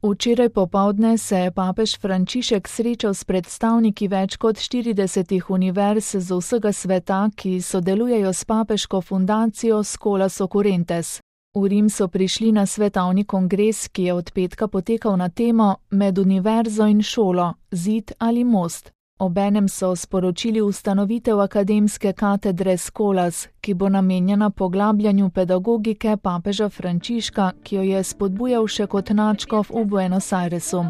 Včeraj popoldne se je papež Frančišek srečal s predstavniki več kot 40 univerz z vsega sveta, ki sodelujejo s papeško fundacijo Scholas Occurrentes. V Rim so prišli na svetovni kongres, ki je od petka potekal na temo Med univerzo in šolo, zid ali most. Obenem so sporočili ustanovitev akademske katedre Scholas, ki bo namenjena poglabljanju pedagogike papeža Frančiška, ki jo je spodbujal še kot nadškof v Buenos Airesu.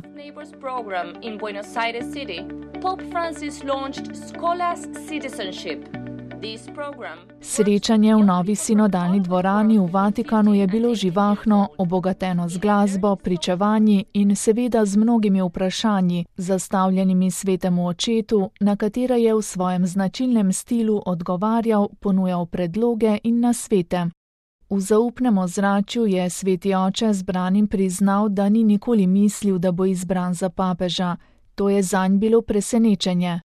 Srečanje v novi sinodalni dvorani v Vatikanu je bilo živahno, obogateno z glasbo, pričevanji in seveda z mnogimi vprašanji, zastavljenimi svetemu očetu, na katere je v svojem značilnem stilu odgovarjal, ponujal predloge in nasvete. V zaupnem ozračju je sveti oče zbranim priznal, da ni nikoli mislil, da bo izbran za papeža. To je zanj bilo presenečenje.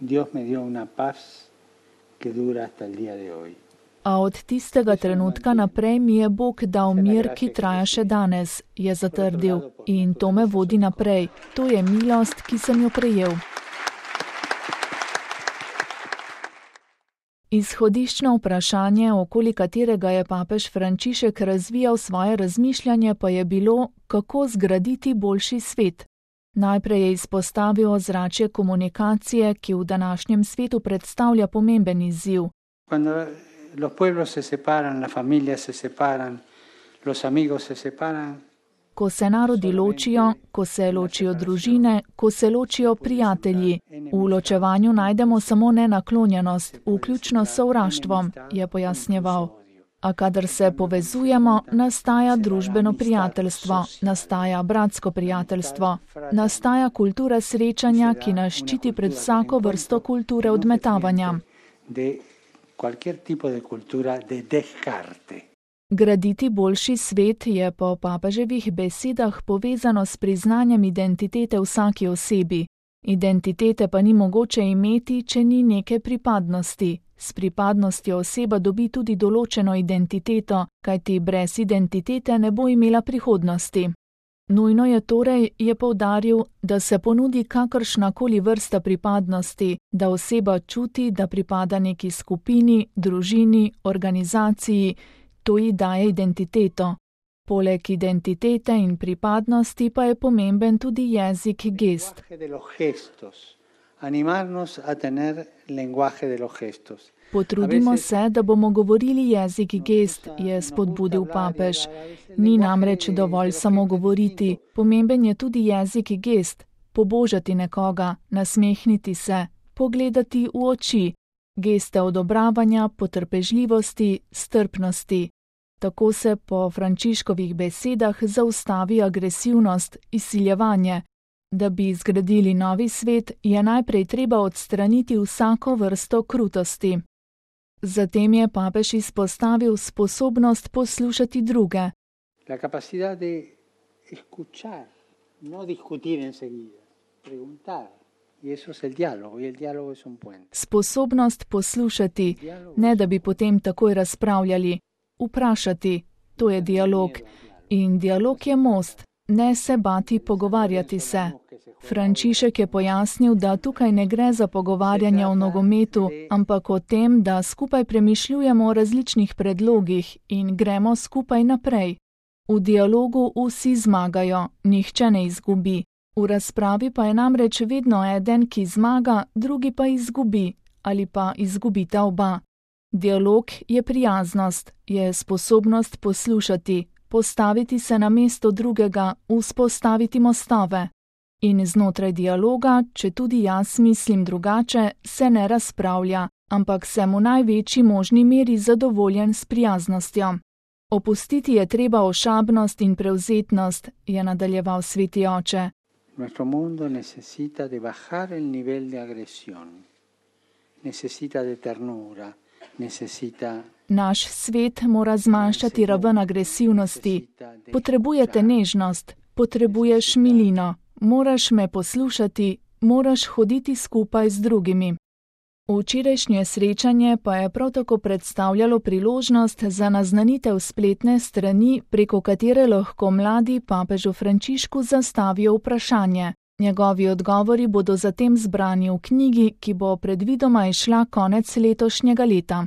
Dios me dio una paz que dura hasta el día de hoy. A od tistega trenutka naprej mi je Bog dal mir, ki traja še danes, je zatrdil, in to me vodi naprej. To je milost, ki sem jo prejel. Izhodiščno vprašanje, okoli katerega je papež Frančišek razvijal svoje razmišljanje, pa je bilo, kako zgraditi boljši svet. Najprej je izpostavil ozračje komunikacije, ki v današnjem svetu predstavlja pomemben izziv. Ko se narodi ločijo, ko se ločijo družine, ko se ločijo prijatelji. V ločevanju najdemo samo nenaklonjenost, vključno s sovraštvom, je pojasnjeval. A kadar se povezujemo, nastaja družbeno prijateljstvo, nastaja bratsko prijateljstvo, nastaja kultura srečanja, ki nas ščiti pred vsako vrsto kulture odmetavanja. Graditi boljši svet je po papeževih besedah povezano s priznanjem identitete vsaki osebi. Identitete pa ni mogoče imeti, če ni neke pripadnosti. S pripadnostjo oseba dobi tudi določeno identiteto, kajti brez identitete ne bo imela prihodnosti. Nujno je torej, je poudaril, da se ponudi kakršnakoli vrsta pripadnosti, da oseba čuti, da pripada neki skupini, družini, organizaciji, to ji daje identiteto. Poleg identitete in pripadnosti pa je pomemben tudi jezik gest. Potrudimo se, da bomo govorili jezik gest, je spodbudil papež. Ni namreč dovolj samo govoriti, pomemben je tudi jezik gest, pobožati nekoga, nasmehniti se, pogledati v oči, geste odobravanja, potrpežljivosti, strpnosti. Tako se po Frančiškovih besedah zaustavi agresivnost, izsiljevanje. Da bi zgradili novi svet, je najprej treba odstraniti vsako vrsto krutosti. Zatem je papež izpostavil sposobnost poslušati druge. Sposobnost poslušati, ne da bi potem takoj razpravljali. Vprašati, to je dialog. In dialog je most. Ne se bati pogovarjati se. Frančišek je pojasnil, da tukaj ne gre za pogovarjanje o nogometu, ampak o tem, da skupaj premišljujemo o različnih predlogih in gremo skupaj naprej. V dialogu vsi zmagajo, nihče ne izgubi. V razpravi pa je namreč vedno eden, ki zmaga, drugi pa izgubi ali pa izgubita oba. Dialog je prijaznost, je sposobnost poslušati, postaviti se na mesto drugega, vzpostaviti mostove. In znotraj dialoga, če tudi jaz mislim drugače, se ne razpravlja, ampak sem v največji možni meri zadovoljen s prijaznostjo. Opustiti je treba ošabnost in prevzetnost, je nadaljeval sveti oče. Nuestro mundo necesita de bajar el nivel de agresión, necesita de ternura, necesita... Naš svet mora zmanjšati raven agresivnosti. Potrebujete nežnost, potrebuješ milino, moraš me poslušati, moraš hoditi skupaj z drugimi. Včerajšnje srečanje pa je prav tako predstavljalo priložnost za naznanitev spletne strani, preko katere lahko mladi papežu Frančišku zastavijo vprašanje. Njegovi odgovori bodo zatem zbrani v knjigi, ki bo predvidoma izšla konec letošnjega leta.